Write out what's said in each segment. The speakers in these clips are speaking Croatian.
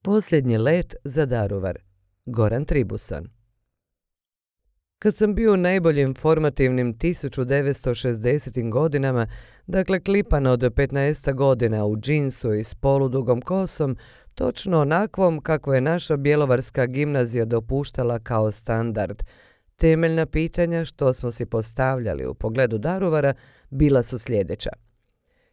Posljednji let za Daruvar. Goran Tribuson. Kad sam bio u najboljim formativnim 1960. godinama, dakle klipan od 15 godina u džinsu i s poludugom kosom, točno onakvom kako je naša bjelovarska gimnazija dopuštala kao standard, temeljna pitanja što smo si postavljali u pogledu Daruvara bila su sljedeća.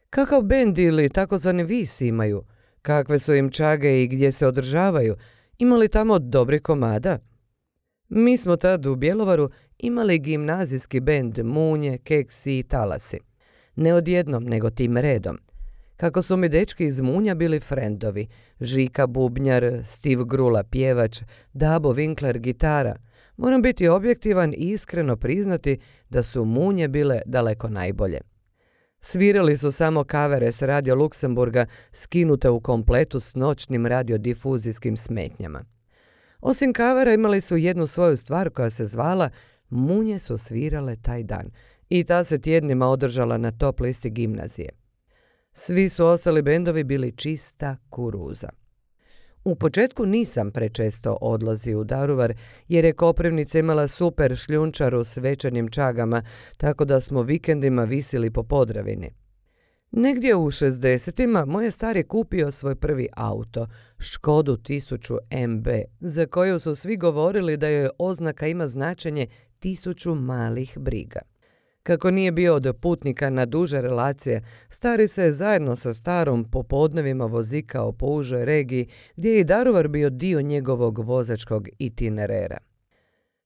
Kakav bend ili takozvani vis imaju? Kakve su im čage i gdje se održavaju? Ima li tamo dobri komada? Mi smo tad u Bjelovaru imali gimnazijski bend Munje, Keksi i Talasi. Ne odjednom, nego tim redom. Kako su mi dečki iz Munja bili frendovi, Žika bubnjar, Steve Grula pjevač, Dabo Winkler gitara, moram biti objektivan i iskreno priznati da su Munje bile daleko najbolje. Svirali su samo kavere s Radio Luksemburga skinute u kompletu s noćnim radiodifuzijskim smetnjama. Osim kavera imali su jednu svoju stvar koja se zvala Munje su svirale taj dan i ta se tjednima održala na top listi gimnazije. Svi su ostali bendovi bili čista kuruza. U početku nisam prečesto odlazio u Daruvar jer je Koprivnica imala super šljunčaru s večernjim čagama, tako da smo vikendima visili po Podravini. Negdje u 60-ima moj je stari kupio svoj prvi auto, Škodu 1000 MB, za koju su svi govorili da joj oznaka ima značenje 1000 malih briga. Kako nije bio od putnika na duže relacije, stari se zajedno sa starom popodnevima vozikao po užoj regiji gdje je i Daruvar bio dio njegovog vozačkog itinerera.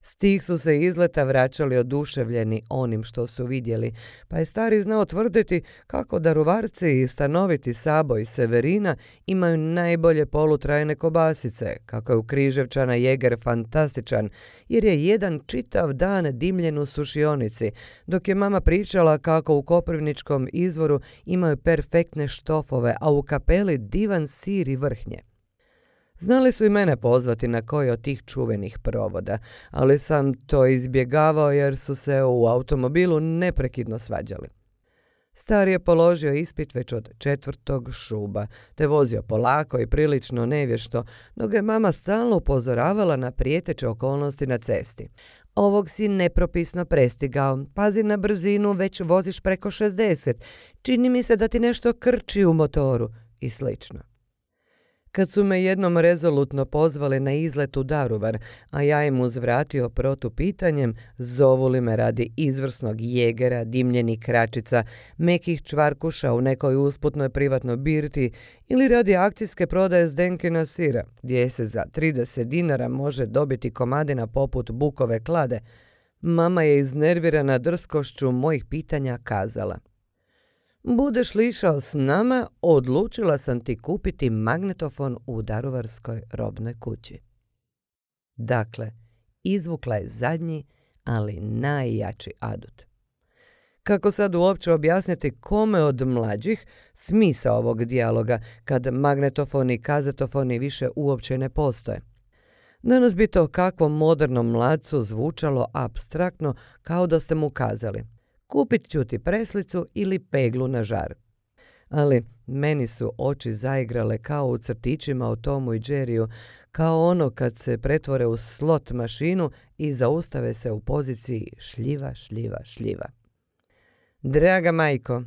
S tih su se izleta vraćali oduševljeni onim što su vidjeli, pa je stari znao tvrditi kako Daruvarci i stanoviti Sabo i Severina imaju najbolje polutrajne kobasice, kako je u Križevčana Jeger fantastičan, jer je jedan čitav dan dimljen u sušionici, dok je mama pričala kako u Koprivničkom izvoru imaju perfektne štofove, a u Kapeli divan sir i vrhnje. Znali su i mene pozvati na koji od tih čuvenih provoda, ali sam to izbjegavao jer su se u automobilu neprekidno svađali. Stari je položio ispit već od 4. šuba, te vozio polako i prilično nevješto, no ga je mama stalno upozoravala na prijeteće okolnosti na cesti. Ovog si nepropisno prestigao, pazi na brzinu, već voziš preko 60, čini mi se da ti nešto krči u motoru i slično. Kad su me jednom rezolutno pozvali na izlet u Daruvar, a ja im uzvratio protupitanjem zovu li me radi izvrsnog jegera, dimljenih kračica, mekih čvarkuša u nekoj usputnoj privatnoj birti ili radi akcijske prodaje Zdenkina sira, gdje se za 30 dinara može dobiti komadina poput bukove klade, mama je iznervirana drskošću mojih pitanja kazala: budeš li išao s nama, odlučila sam ti kupiti magnetofon u Daruvarskoj robnoj kući. Dakle, izvukla je zadnji, ali najjači adut. Kako sad uopće objasniti kome od mlađih smisao ovog dijaloga kad magnetofoni i kazetofoni više uopće ne postoje? Danas bi to kakvom modernom mladcu zvučalo apstraktno, kao da ste mu kazali: kupit ću ti preslicu ili peglu na žar. Ali meni su oči zaigrale kao u crtićima o Tomu i Jerryu, kao ono kad se pretvore u slot mašinu i zaustave se u poziciji šljiva, šljiva, šljiva. Draga majko,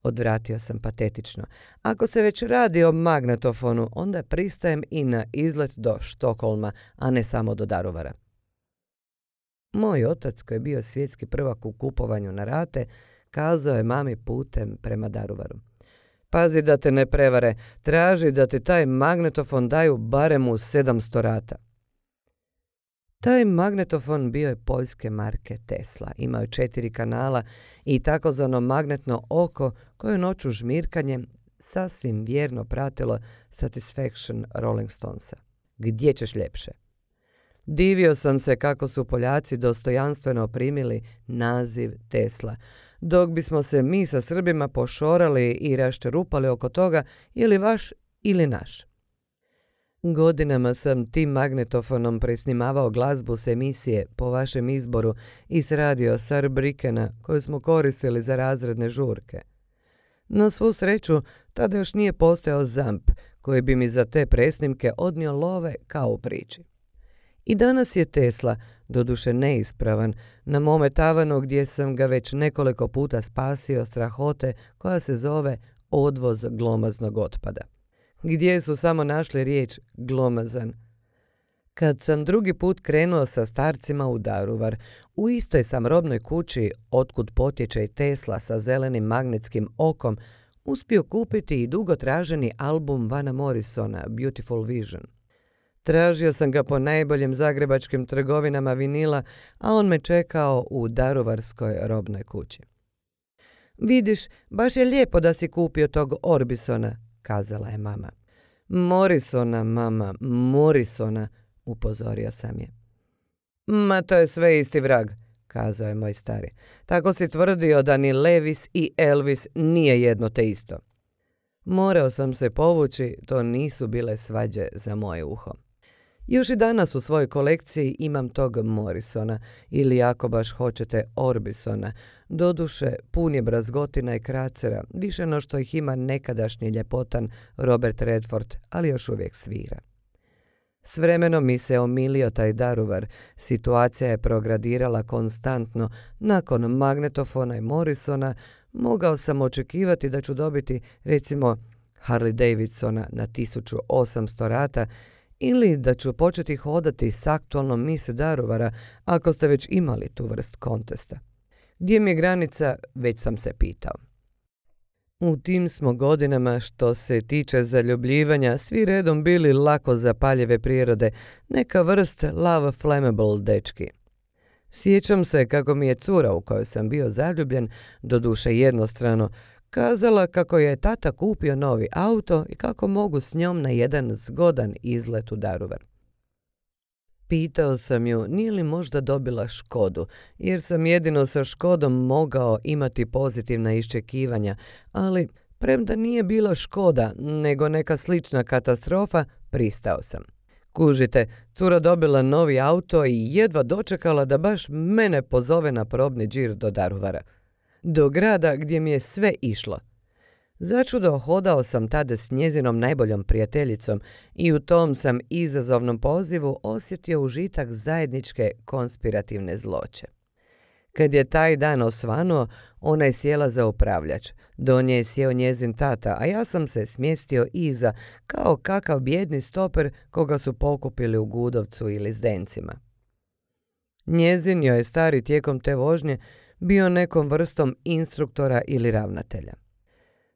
odvratio sam patetično, ako se već radi o magnetofonu, onda pristajem i na izlet do Štokholma, a ne samo do Daruvara. Moj otac, koji je bio svjetski prvak u kupovanju na rate, kazao je mami putem prema Daruvaru: pazi da te ne prevare, traži da ti taj magnetofon daju barem u 700 rata. Taj magnetofon bio je poljske marke Tesla, imao je 4 kanala i takozvano magnetno oko koje noću žmirkanjem sasvim vjerno pratilo Satisfaction Rolling Stonesa. Gdje ćeš ljepše? Divio sam se kako su Poljaci dostojanstveno primili naziv Tesla, dok bismo se mi sa Srbima pošorali i raščerupali oko toga je li vaš ili naš. Godinama sam tim magnetofonom presnimavao glazbu s emisije Po vašem izboru i s radio Saarbrückena koju smo koristili za razredne žurke. Na svu sreću, tada još nije postojao ZAMP, koji bi mi za te presnimke odnio love kao u priči. I danas je Tesla, doduše neispravan, na mome tavanu gdje sam ga već nekoliko puta spasio strahote koja se zove odvoz glomaznog otpada. Gdje su samo našli riječ glomazan. Kad sam drugi put krenuo sa starcima u Daruvar, u istoj sam robnoj kući, otkud potječe i Tesla sa zelenim magnetskim okom, uspio kupiti i dugo traženi album Vana Morrisona, Beautiful Vision. Tražio sam ga po najboljim zagrebačkim trgovinama vinila, a on me čekao u daruvarskoj robnoj kući. Vidiš, baš je lijepo da si kupio tog Orbisona, kazala je mama. Morrisona, mama, Morrisona, upozorio sam je. Ma to je sve isti vrag, kazao je moj stari. Tako si tvrdio da ni Levis i Elvis nije jedno te isto. Morao sam se povući, to nisu bile svađe za moje uho. Još i danas u svojoj kolekciji imam tog Morrisona, ili ako baš hoćete Orbisona. Doduše, pun je brazgotina i kracera, više no što ih ima nekadašnji ljepotan Robert Redford, ali još uvijek svira. S vremenom mi se omilio taj Daruvar, situacija je progradirala konstantno, nakon magnetofona i Morrisona mogao sam očekivati da ću dobiti, recimo, Harley Davidsona na 1800 rata, ili da ću početi hodati s aktualnom Miss Daruvara ako ste već imali tu vrst kontesta. Gdje mi je granica, već sam se pitao. U tim smo godinama, što se tiče zaljubljivanja, svi redom bili lako zapaljive prirode, neka vrst love flammable dečki. Sjećam se kako mi je cura u kojoj sam bio zaljubljen, doduše jednostrano, kazala kako je tata kupio novi auto i kako mogu s njom na jedan zgodan izlet u Daruvar. Pitao sam ju nije li možda dobila Škodu, jer sam jedino sa Škodom mogao imati pozitivna iščekivanja, ali premda nije bila Škoda, nego neka slična katastrofa, pristao sam. Kužite, cura dobila novi auto i jedva dočekala da baš mene pozove na probni džir do Daruvara. Do grada gdje mi je sve išlo. Začudo hodao sam tada s njezinom najboljom prijateljicom i u tom sam izazovnom pozivu osjetio užitak zajedničke konspirativne zloće. Kad je taj dan osvanuo, ona je sjela za upravljač. Do nje je sjeo njezin tata, a ja sam se smjestio iza, kao kakav bijedni stoper koga su pokupili u Gudovcu ili Zdencima. Njezin joj je stari tijekom te vožnje bio nekom vrstom instruktora ili ravnatelja.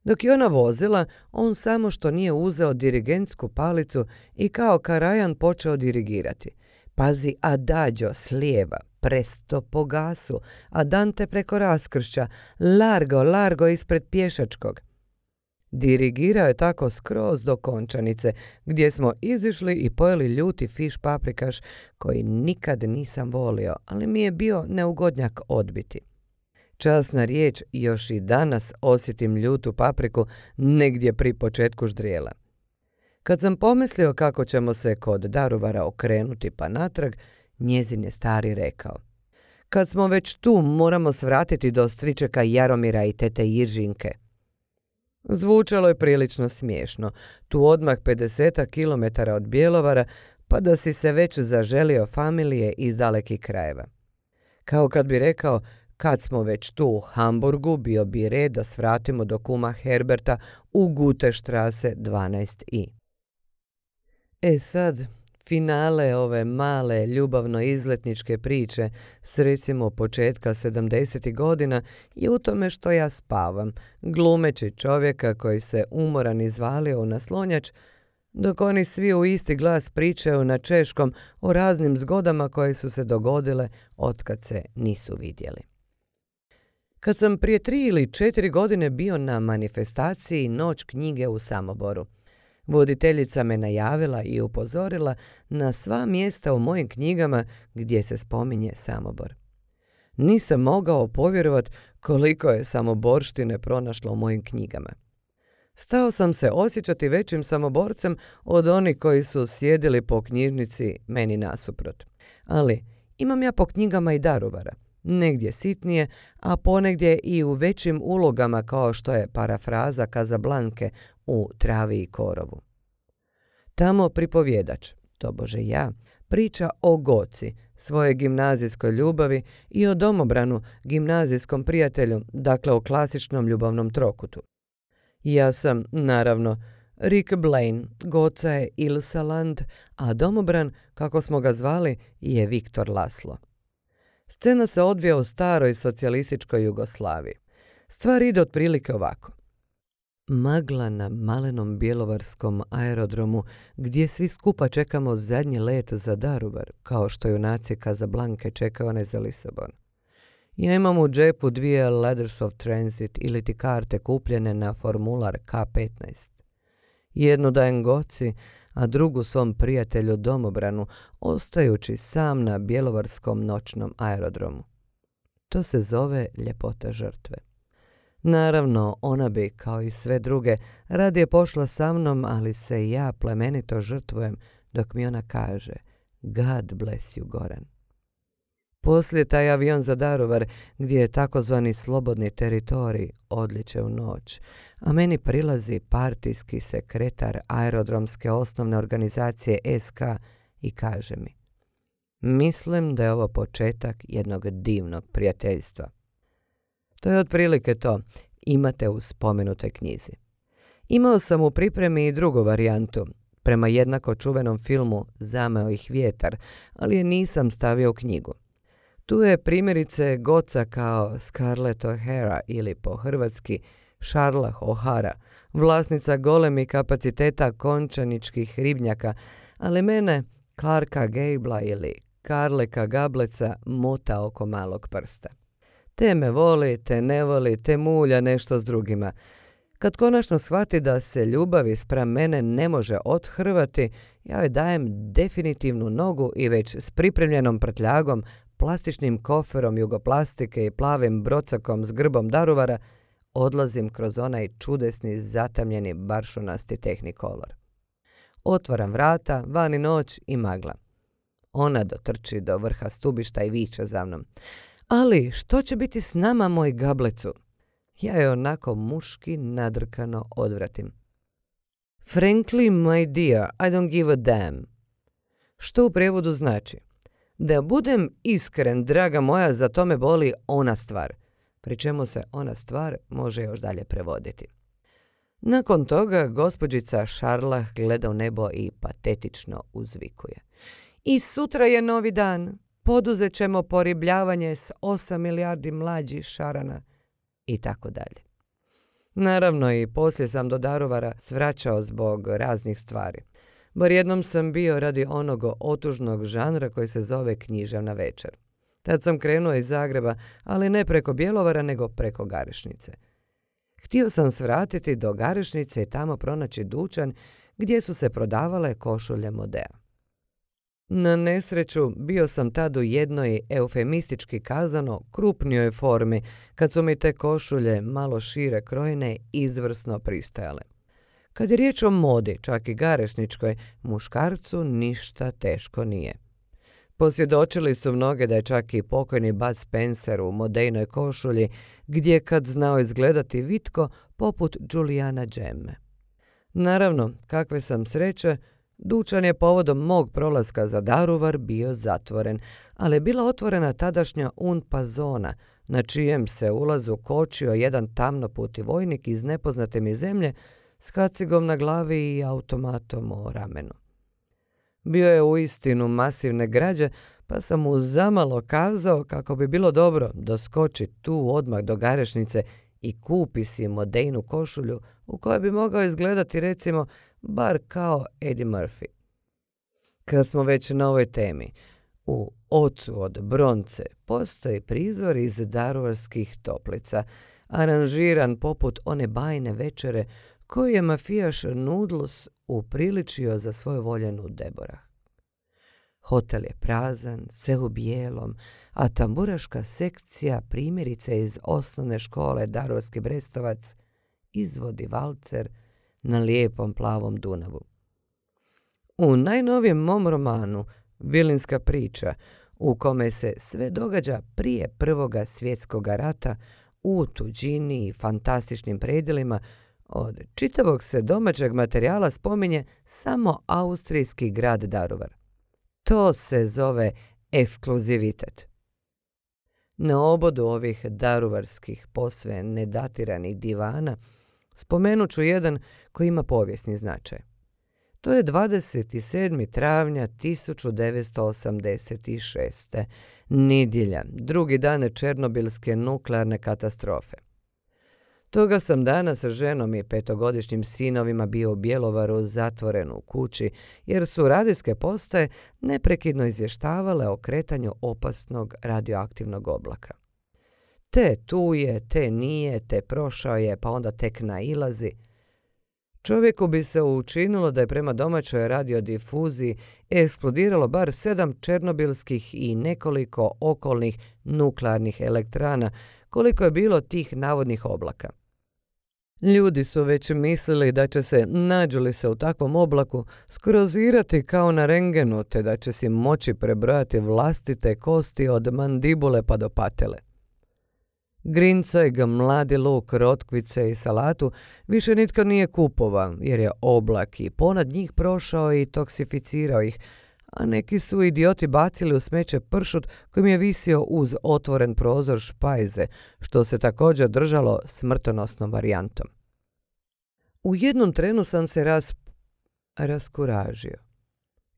Dok je ona vozila, on samo što nije uzeo dirigentsku palicu i kao karajan počeo dirigirati. Pazi adagio s lijeva, presto po gasu, andante preko raskršća, largo, largo ispred pješačkog. Dirigirao je tako skroz do Končanice, gdje smo izišli i pojeli ljuti fiš paprikaš koji nikad nisam volio, ali mi je bio neugodnjak odbiti. Časna riječ, još i danas osjetim ljutu papriku negdje pri početku ždrijela. Kad sam pomislio kako ćemo se kod Daruvara okrenuti pa natrag, njezin je stari rekao: kad smo već tu, moramo svratiti do stričeka Jaromira i tete Jiržinke. Zvučalo je prilično smiješno, tu odmah 50 km od Bjelovara, pa da si se već zaželio familije iz dalekih krajeva. Kao kad bi rekao: kad smo već tu u Hamburgu, bio bi red da svratimo do kuma Herberta u Gutestrasse 12i. E sad, finale ove male ljubavno-izletničke priče s recimo početka 70. godina je u tome što ja spavam, glumeći čovjeka koji se umoran izvalio u naslonjač, dok oni svi u isti glas pričaju na češkom o raznim zgodama koje su se dogodile otkad se nisu vidjeli. Kad sam prije 3 ili 4 godine bio na manifestaciji Noć knjige u Samoboru, voditeljica me najavila i upozorila na sva mjesta u mojim knjigama gdje se spominje Samobor. Nisam mogao povjerovat koliko je samoborštine pronašlo u mojim knjigama. Stao sam se osjećati većim samoborcem od onih koji su sjedili po knjižnici meni nasuprot. Ali imam ja po knjigama i Daruvara, negdje sitnije, a ponegdje i u većim ulogama kao što je parafraza Kazablanke u Travi i korovu. Tamo pripovjedač, tobože ja, priča o Goci, svojoj gimnazijskoj ljubavi i o Domobranu, gimnazijskom prijatelju, dakle o klasičnom ljubavnom trokutu. Ja sam, naravno, Rick Blaine, Goca je Ilsa Land, a Domobran, kako smo ga zvali, je Viktor Laslo. Scena se odvija u staroj socijalističkoj Jugoslaviji. Stvar ide otprilike ovako. Magla na malenom bjelovarskom aerodromu gdje svi skupa čekamo zadnji let za Daruvar, kao što junaci Kazablanke čekaju one za Lisabon. Ja imam u džepu 2 Letters of Transit ili ti karte kupljene na formular K15. Jednu dajem Goci, a drugu svom prijatelju Domobranu, ostajući sam na bjelovarskom noćnom aerodromu. To se zove ljepota žrtve. Naravno, ona bi, kao i sve druge, radije pošla sa mnom, ali se ja plemenito žrtvujem dok mi ona kaže God bless you, Goran. Poslije taj avion za Daruvar, gdje je takozvani slobodni teritorij, odliče u noć, a meni prilazi partijski sekretar aerodromske osnovne organizacije SK i kaže mi: mislim da je ovo početak jednog divnog prijateljstva. To je otprilike to, imate u spomenutoj knjizi. Imao sam u pripremi i drugu varijantu, prema jednako čuvenom filmu Zameo ih vjetar, ali je nisam stavio u knjigu. Tu je primjerice Goca kao Scarlett O'Hara ili po hrvatski Charlotte O'Hara, vlasnica golemih kapaciteta končaničkih ribnjaka, ali mene Clarka Gablea ili Karleka Gableca mota oko malog prsta. Te me voli, te ne voli, te mulja nešto s drugima. Kad konačno shvati da se ljubavi spram mene ne može othrvati, ja joj dajem definitivnu nogu i već s pripremljenom prtljagom, plastičnim koferom jugoplastike i plavim brocakom s grbom Daruvara odlazim kroz onaj čudesni zatamljeni baršunasti Technicolor. Otvaram vrata, vani noć i magla. Ona dotrči do vrha stubišta i viče za mnom: ali što će biti s nama, moj Gablecu? Ja je onako muški nadrkano odvratim. Frankly, my dear, I don't give a damn. Što u prijevodu znači: da budem iskren, draga moja, za to me boli ona stvar. Pri čemu se ona stvar može još dalje prevoditi. Nakon toga gospođica Šarlah gleda u nebo i patetično uzvikuje: i sutra je novi dan. Poduzet ćemo poribljavanje s 8 milijardi mlađih šarana i tako dalje. Naravno i poslije sam do Daruvara svraćao zbog raznih stvari. Bar jednom sam bio radi onog otužnog žanra koji se zove književna večer. Tad sam krenuo iz Zagreba, ali ne preko Bjelovara nego preko Garešnice. Htio sam svratiti do Garešnice i tamo pronaći dućan gdje su se prodavale košulje Modea. Na nesreću bio sam tad u jednoj, eufemistički kazano, krupnijoj formi, kad su mi te košulje, malo šire krojene, izvrsno pristajale. Kad je riječ o modi, čak i garešničkoj, muškarcu ništa teško nije. Posvjedočili su mnoge da je čak i pokojni Bud Spencer u modejnoj košulji, gdje kad znao izgledati vitko poput Julijana Džemme. Naravno, kakve sam sreće, dućan je povodom mog prolaska za Daruvar bio zatvoren, ali je bila otvorena tadašnja UNPA zona, na čijem se ulazu kočio jedan tamnoputi vojnik iz nepoznate mi zemlje s kacigom na glavi i automatom o ramenu. Bio je uistinu masivne građe, pa sam mu zamalo kazao kako bi bilo dobro doskoči tu odmah do Garešnice i kupi si modejnu košulju u kojoj bi mogao izgledati recimo bar kao Eddie Murphy. Kad smo već na ovoj temi, u Ocu od bronce postoji prizor iz Daruvarskih toplica, aranžiran poput one bajne večere koju je mafijaš Noodles upriličio za svoju voljenu Deborah. Hotel je prazan, sve u bijelom, a tamburaška sekcija, primjerice iz osnovne škole Daruvarski Brestovac, izvodi valcer na lijepom plavom Dunavu. U najnovijem mom romanu Vilinska priča, u kome se sve događa prije Prvoga svjetskog rata, u tuđini i fantastičnim predjelima, Od čitavog se domaćeg materijala spominje samo austrijski grad Daruvar. To se zove ekskluzivitet. Na obodu ovih daruvarskih posve nedatiranih divana spomenut ću jedan koji ima povijesni značaj. To je 27. travnja 1986. nedjelja, drugi dan Černobilske nuklearne katastrofe. Toga sam dana sa ženom i 5-godišnjim sinovima bio u Bjelovaru zatvoren u kući, jer su radijske postaje neprekidno izvještavale o kretanju opasnog radioaktivnog oblaka. Te tu je, te nije, te prošao je, pa onda tek nailazi. Čovjeku bi se učinilo da je prema domaćoj radiodifuziji eksplodiralo bar 7 černobilskih i nekoliko okolnih nuklearnih elektrana, koliko je bilo tih navodnih oblaka. Ljudi su već mislili da će se, nađu li se u takvom oblaku, skrozirati kao na rengenu, te da će si moći prebrojati vlastite kosti od mandibule pa do patele. Grincajg, mladi luk, rotkvice i salatu više nitko nije kupovao, jer je oblak i ponad njih prošao i toksificirao ih, a neki su idioti bacili u smeće pršut kojim je visio uz otvoren prozor špajze, što se također držalo smrtonosnom varijantom. U jednom trenu sam se raskuražio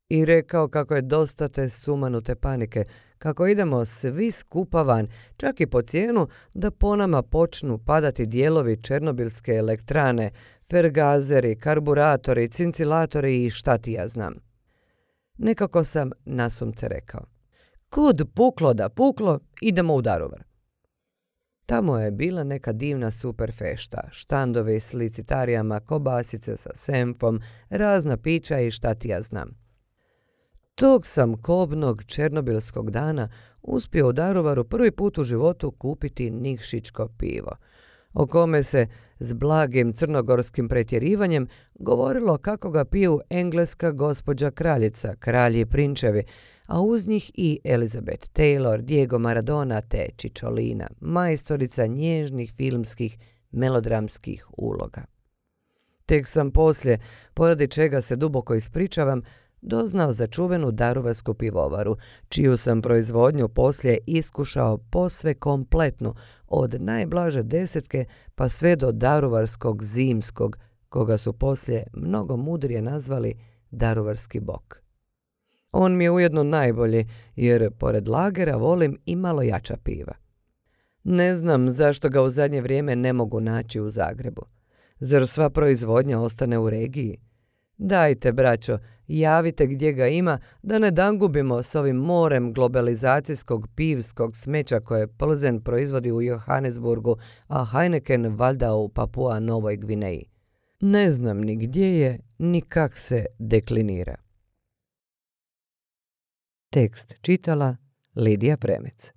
i rekao kako je dosta te sumanute panike, kako idemo svi skupa van, čak i po cijenu da po nama počnu padati dijelovi černobilske elektrane, fergazeri, karburatori, cincilatori i šta ti ja znam. Nekako sam nasumce rekao: kud puklo da puklo, idemo u Daruvar. Tamo je bila neka divna super fešta, štandovi s licitarijama, kobasice sa senfom, razna pića i šta ti ja znam. Tog sam kobnog černobilskog dana uspio u Daruvaru prvi put u životu kupiti Nikšićko pivo, o kome se s blagim crnogorskim pretjerivanjem govorilo kako ga piju engleska gospođa kraljica, kralji prinčevi, a uz njih i Elizabeth Taylor, Diego Maradona te Čičolina, majstorica nježnih filmskih melodramskih uloga. Tek sam poslije, poradi čega se duboko ispričavam, doznao za čuvenu daruvarsku pivovaru, čiju sam proizvodnju poslije iskušao posve kompletnu, od najblaže desetke pa sve do daruvarskog zimskog, koga su poslije mnogo mudrije nazvali daruvarski bok. On mi je ujedno najbolji, jer pored lagera volim i malo jača piva. Ne znam zašto ga u zadnje vrijeme ne mogu naći u Zagrebu. Zar sva proizvodnja ostane u regiji? Dajte, braćo, javite gdje ga ima, da ne dangubimo s ovim morem globalizacijskog pivskog smeća koje Plzen proizvodi u Johannesburgu, a Heineken valjda u Papua Novoj Gvineji. Ne znam ni gdje je, ni kak se deklinira. Tekst čitala Lidija Premec.